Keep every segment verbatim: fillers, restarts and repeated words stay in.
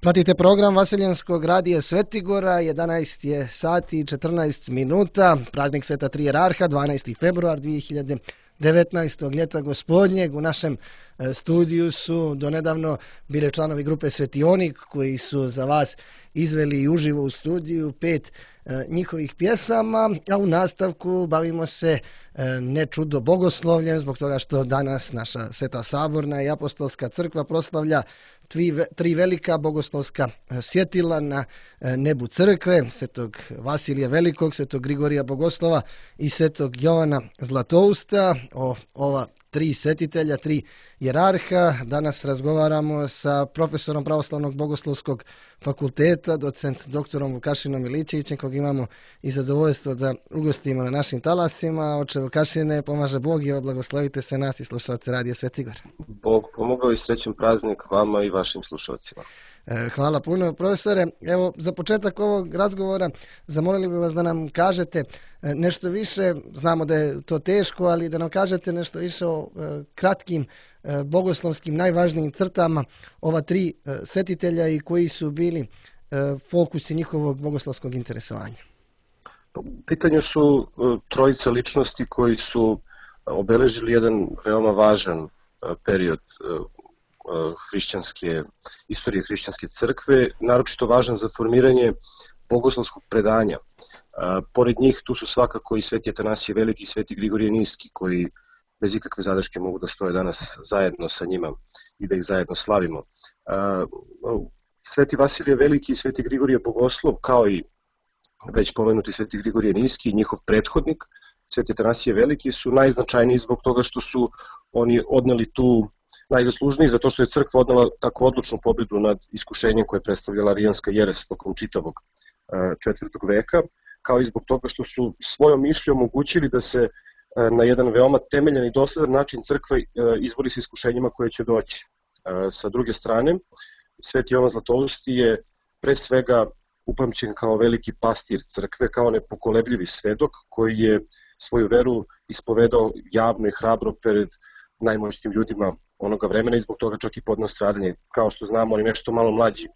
Pratite program Vaseljenskog radija Svetigora, jedanaest je sati i četrnaest minuta, praznik Sveta Tri Jerarha, dvanaesti februar dvije hiljade devetnaestog ljeta gospodnjeg. U našem studiju su donedavno bile članovi grupe Svetionik koji su za vas izveli uživo u studiju pet njihovih pjesama, a u nastavku bavimo se ne čudo bogoslovljem, zbog toga što danas naša Sveta Saborna i Apostolska crkva proslavlja tri velika bogoslovska svjetila na nebu crkve, Svetog Vasilija Velikog, Svetog Grigorija Bogoslova i Svetog Jovana Zlatousta. O ova tri svetitelja, tri jerarha danas razgovaramo sa profesorom Pravoslavnog bogoslovskog fakulteta, docent doktorom Vukašinom Milićevićem, kog imamo i zadovoljstvo da ugostimo na našim talasima. Oče Vukašine, pomaže Bog i blagoslovite se nas i slušalce Radija Svetigor. Bog pomogao i srećan praznik vama i vašim slušalcima. Hvala puno, profesore. Evo, za početak ovog razgovora zamolili bi vas da nam kažete nešto više, znamo da je to teško, ali da nam kažete nešto više o kratkim bogoslovskim najvažnijim crtama ova tri svetitelja i koji su bili fokusi njihovog bogoslovskog interesovanja. U pitanju su trojica ličnosti koji su obeležili jedan veoma važan period hrišćanske, istorije hrišćanske crkve, naročito važan za formiranje bogoslovskog predanja. Pored njih tu su svakako i Sveti Atanasije Veliki i Sveti Grigorije Niski, koji bez ikakve zadrške mogu da stoje danas zajedno sa njima i da ih zajedno slavimo. Sveti Vasilije Veliki i Sveti Grigorije Bogoslov, kao i već pomenuti Sveti Grigorije Niski i njihov prethodnik, Sveti Atanasije Veliki, su najznačajniji zbog toga što su oni odneli tu najzaslužniji zato što je crkva odnela tako odlučnu pobedu nad iskušenjem koje je predstavljala arijanska jeres tokom čitavog četvrtog veka, kao i zbog toga što su svojom mišljom omogućili da se na jedan veoma temeljan i dosledan način crkva izbori sa iskušenjima koje će doći. Sa druge strane, Sveti Jovan Zlatousti je pre svega upamćen kao veliki pastir crkve, kao nepokolebljivi svedok koji je svoju veru ispovedao javno i hrabro pred najmoćnijim ljudima onoga vremena i zbog toga čak i podneo stradanje. Kao što znamo, oni nešto malo mlađi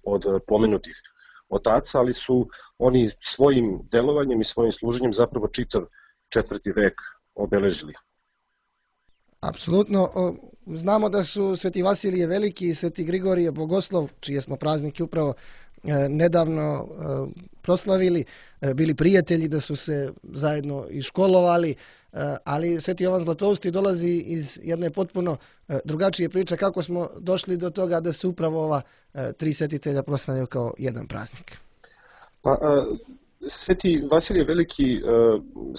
od pomenutih otaca, ali su oni svojim delovanjem i svojim služenjem zapravo čitav četvrti vek obeležili. Apsolutno. Znamo da su Sveti Vasilije Veliki i Sveti Grigorije Bogoslov, čije smo praznike upravo nedavno proslavili, bili prijatelji, da su se zajedno i školovali, ali Sveti Jovan Zlatousti dolazi iz jedne potpuno drugačije priče. Kako smo došli do toga da se upravo ova tri svetitelja proslavljaju kao jedan praznik? Pa, Sveti Vasilije Veliki,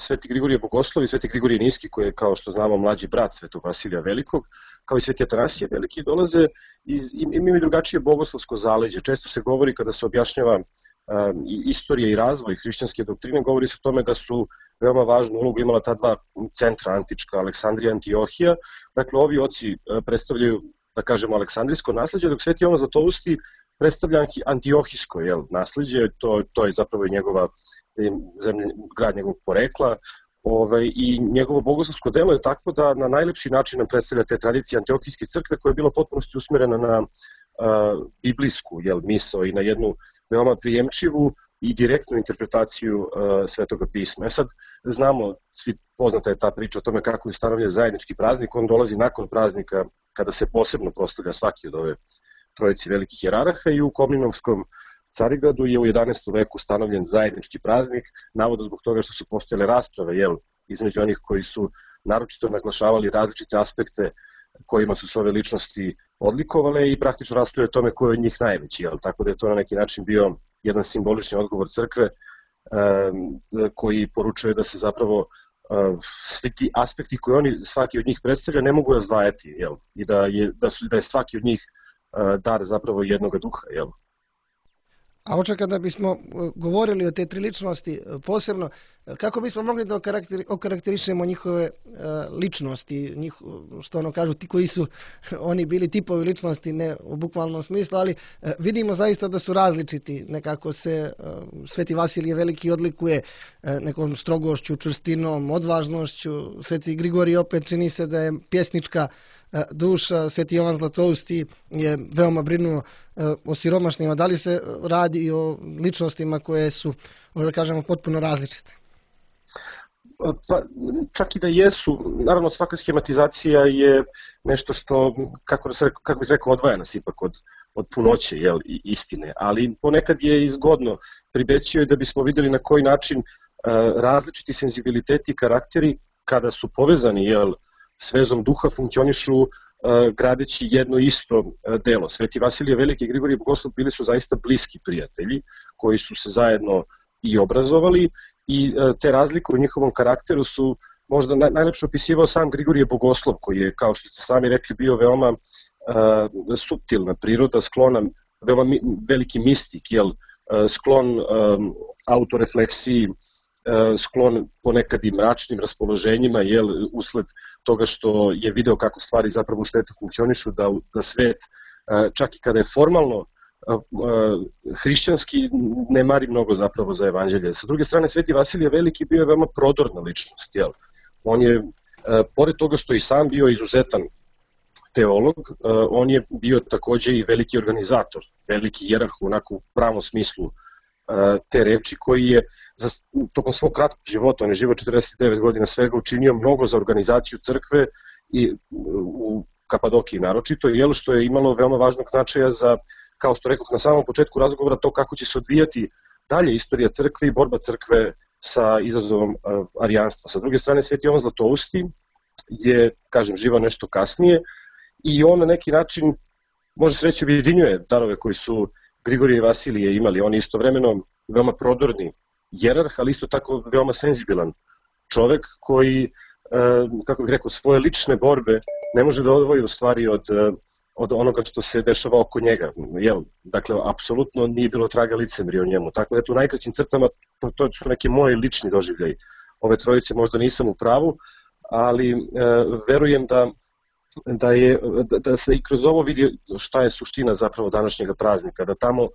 Sveti Grigorije Bogoslov i Sveti Grigorije Niski, koji je, kao što znamo, mlađi brat Svetog Vasilija Velikog, kao i Sveti Atanasije Veliki, dolaze iz, imaju drugačije bogoslovsko zaleđe. Često se govori, kada se objašnjava istorija i razvoj hrišćanske doktrine, govori se o tome da su veoma važnu ulogu imala ta dva centra antička, Aleksandrija i Antiohija. Dakle, ovi oci predstavljaju, da kažemo, aleksandrijsko nasleđe, dok Sveti Jovan Zlatousti predstavlja antiohijsko jel, nasleđe, to, to je zapravo njegova zemlje, grad njegovog porekla, ovaj, i njegovo bogoslovsko delo je takvo da na najlepši način nam predstavlja te tradicije antiohijske crkve, koja je bila potpunosti usmerena na a, biblijsku jel, misao i na jednu veoma prijemčivu i direktnu interpretaciju a, Svetoga pisma. E sad, znamo, svi poznata je ta priča o tome kako je ustanovljen zajednički praznik, on dolazi nakon praznika kada se posebno proslavlja svaki od ove trojici velikih jerarha i u Komninovskom Carigradu je u jedanaestom veku ustanovljen zajednički praznik, navodno zbog toga što su postojale rasprave jel, između onih koji su naročito naglašavali različite aspekte kojima su se ove ličnosti odlikovale i praktično raspravljaju o tome ko je od njih najveći, jel, tako da je to na neki način bio jedan simbolični odgovor crkve um, koji poručuje da se zapravo uh, svi ti aspekti koje oni svaki od njih predstavlja ne mogu razdvajati jel, i da je, da, su, da je svaki od njih dar zapravo jednoga duha, jel? A oče, kada bismo govorili o te tri ličnosti posebno, kako bismo mogli da okarakterišemo njihove ličnosti, njih, što ono kažu, ti koji su oni bili tipovi ličnosti, ne u bukvalnom smislu, ali vidimo zaista da su različiti. Nekako se Sveti Vasilije Veliki odlikuje nekom strogošću, čvrstinom, odvažnošću. Sveti Grigorije opet čini se da je pjesnička duša. Sveti Jovan Zlatousti je veoma brinuo o siromašnima. Da li se radi o ličnostima koje su, da kažemo, potpuno različite? Pa, čak i da jesu, naravno svaka schematizacija je nešto što, kako, da se, kako bih rekao, odvaja nas ipak od, od punoće, jel, i istine, ali ponekad je izgodno pribećio je da bismo videli na koji način uh, različiti senzibiliteti i karakteri kada su povezani, jel, s vezom duha funkcionišu uh, gradeći jedno isto uh, delo. Sveti Vasilije Veliki i Grigorije Bogoslov bili su zaista bliski prijatelji koji su se zajedno i obrazovali i te razlike u njihovom karakteru su možda naj, najlepše opisivao sam Grigorije Bogoslov, koji je, kao što ste sami rekli, bio veoma uh, suptilna priroda, sklona, veoma mi, veliki mistik, jel, uh, sklon um, autorefleksiji, uh, sklon ponekad i mračnim raspoloženjima, jel, usled toga što je video kako stvari zapravo u svetu funkcionišu, da, da svet, uh, čak i kada je formalno hrišćanski, ne mari mnogo zapravo za evanđelje. Sa druge strane, Sveti Vasilije Veliki bio je veoma prodorna ličnost. Jel? On je, pored toga što i sam bio izuzetan teolog, on je bio takođe i veliki organizator, veliki jerarh u onako pravom smislu te reči, koji je za, tokom svog kratkog života, on je živo četrdeset devet godina svega, učinio mnogo za organizaciju crkve i u Kapadokiji naročito, jel, što je imalo veoma važnog značaja za, kao što rekoh na samom početku razgovora, to kako će se odvijati dalje istorija crkve i borba crkve sa izazovom uh, arijanstva. Sa druge strane, Sveti Jovan Zlatousti je, kažem, živao nešto kasnije i on na neki način, može se reći, objedinjuje darove koji su Grigorije i Vasilije imali. On je istovremeno veoma prodorni jerarh, ali isto tako veoma senzibilan čovek koji, uh, kako bih rekao, svoje lične borbe ne može da odvoji u stvari od uh, od onoga što se dešava oko njega. Jel? Dakle, apsolutno nije bilo traga licemrija o njemu. Tako da, u najkraćim crtama, to, to su neke moje lični doživljaj. Ove trojice možda nisam u pravu, ali e, verujem da, da, je, da, da se i kroz ovo vidi šta je suština zapravo današnjeg praznika. Da tamo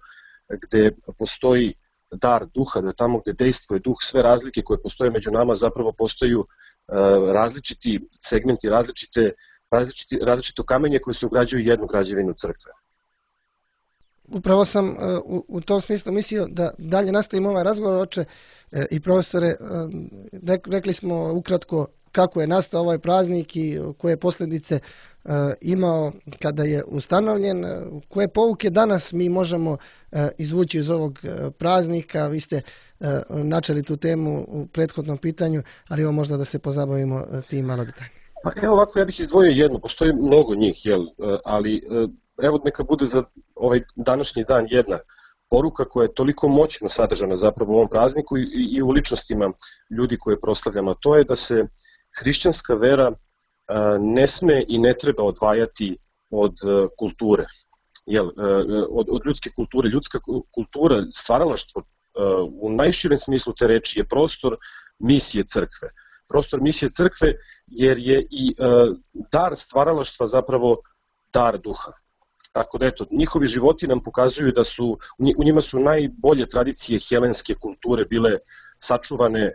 gde postoji dar duha, da tamo gde dejstvuje duh, sve razlike koje postoje među nama zapravo postaju e, različiti segmenti, različite Različiti, različito kamenje koje se ugrađuju jednu građevinu crkve. Upravo sam uh, u, u tom smislu mislio da dalje nastavimo ovaj razgovor, oče uh, i profesore. Uh, rekli smo ukratko kako je nastao ovaj praznik i koje posljedice uh, imao kada je ustanovljen. Uh, koje pouke danas mi možemo uh, izvući iz ovog uh, praznika? Vi ste uh, načeli tu temu u prethodnom pitanju, ali evo možda da se pozabavimo uh, tim malo detaljno. Pa evo ovako, ja bih izdvojio jedno, postoji mnogo njih, jel, ali evo neka bude za ovaj današnji dan jedna poruka koja je toliko moćno sadržana zapravo u ovom prazniku i, i u ličnostima ljudi koje proslavljamo, to je da se hrišćanska vera ne sme i ne treba odvajati od kulture, jel, od, od ljudske kulture. Ljudska kultura, stvaralaštvo u najširem smislu te reči je prostor misije crkve. Prostor misije crkve, jer je i e, dar stvaralaštva zapravo dar duha. Tako da eto, njihovi životi nam pokazuju da su, u njima su najbolje tradicije helenske kulture bile sačuvane e,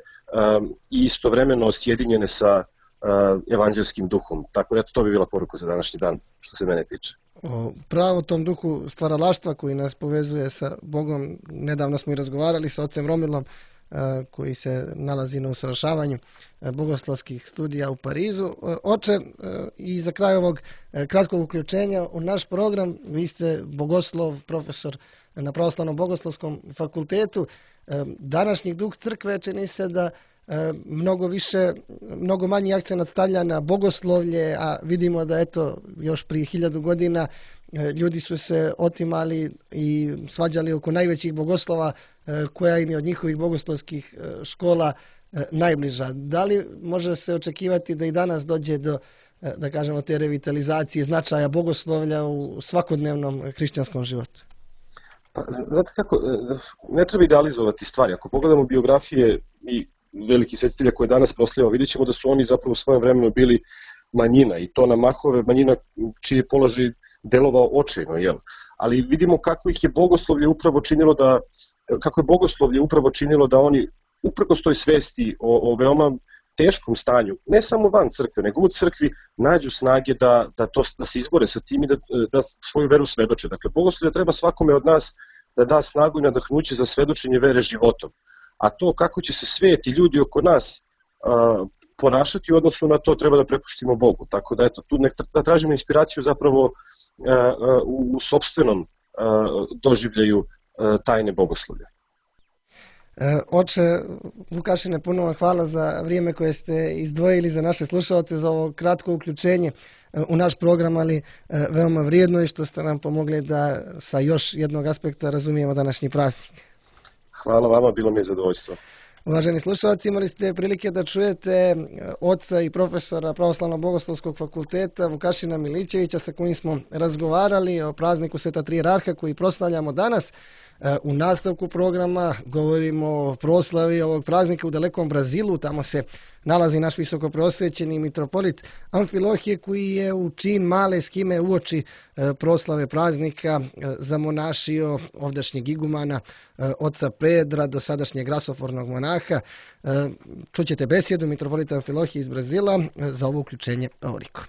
i istovremeno sjedinjene sa e, evanđelskim duhom. Tako da eto, to bi bila poruka za današnji dan, što se mene tiče. O pravo tom duhu stvaralaštva koji nas povezuje sa Bogom, nedavno smo i razgovarali sa ocem Romilom, koji se nalazi na usavršavanju bogoslovskih studija u Parizu. Oče, i za kraj ovog kratkog uključenja u naš program, vi ste bogoslov, profesor na Pravoslavnom bogoslovskom fakultetu. Današnji duh crkve čini se da mnogo više, mnogo manji akcenat stavlja na bogoslovlje, a vidimo da eto još prije hiljadu godina ljudi su se otimali i svađali oko najvećih bogoslova koja im je od njihovih bogoslovskih škola najbliža. Da li može se očekivati da i danas dođe do, da kažemo, te revitalizacije značaja bogoslovlja u svakodnevnom hrišćanskom životu? Pa, znate kako, ne treba idealizovati stvari. Ako pogledamo biografije i veliki svetitelja koje danas proslavljamo, vidjet ćemo da su oni zapravo u svojem vremenu bili manjina i to na mahove manjina čiji je položaj delovao očajno, jel? Ali vidimo kako ih je bogoslovlje upravo činilo da, kako je bogoslovlje upravo činilo da oni uprkos toj svesti o, o veoma teškom stanju, ne samo van crkve, nego u crkvi, nađu snage da, da, to, da se izbore sa tim i da, da svoju veru svedoče. Dakle, bogoslovlje treba svakome od nas da da snagu i nadahnuće za svedočenje vere životom. A to kako će se svet i ljudi oko nas a, ponašati u odnosu na to treba da prepustimo Bogu. Tako da, eto, tu nek, da tražimo inspiraciju zapravo a, a, u, u sopstvenom a, doživljaju a, tajne bogoslovlja. Oče Vukašine, puno vam hvala za vrijeme koje ste izdvojili za naše slušalce, za ovo kratko uključenje u naš program, ali veoma vrijedno i što ste nam pomogli da sa još jednog aspekta razumijemo današnji praznik. Hvala vama, bilo mi je zadovoljstvo. Uvaženi slušalci, imali ste prilike da čujete oca i profesora Pravoslavno-bogoslovskog fakulteta Vukašina Milićevića, sa kojim smo razgovarali o prazniku Sveta Tri jerarha koji proslavljamo danas. U nastavku programa govorimo o proslavi ovog praznika u dalekom Brazilu. Tamo se nalazi naš visokopreosvećeni mitropolit Amfilohije, koji je u čin male skime uoči proslave praznika zamonašio ovdašnjeg igumana oca Pedra, dosadašnjeg grasofornog monaha. Čućete besjedu mitropolita Amfilohije iz Brazila. Za ovo uključenje ovoliko.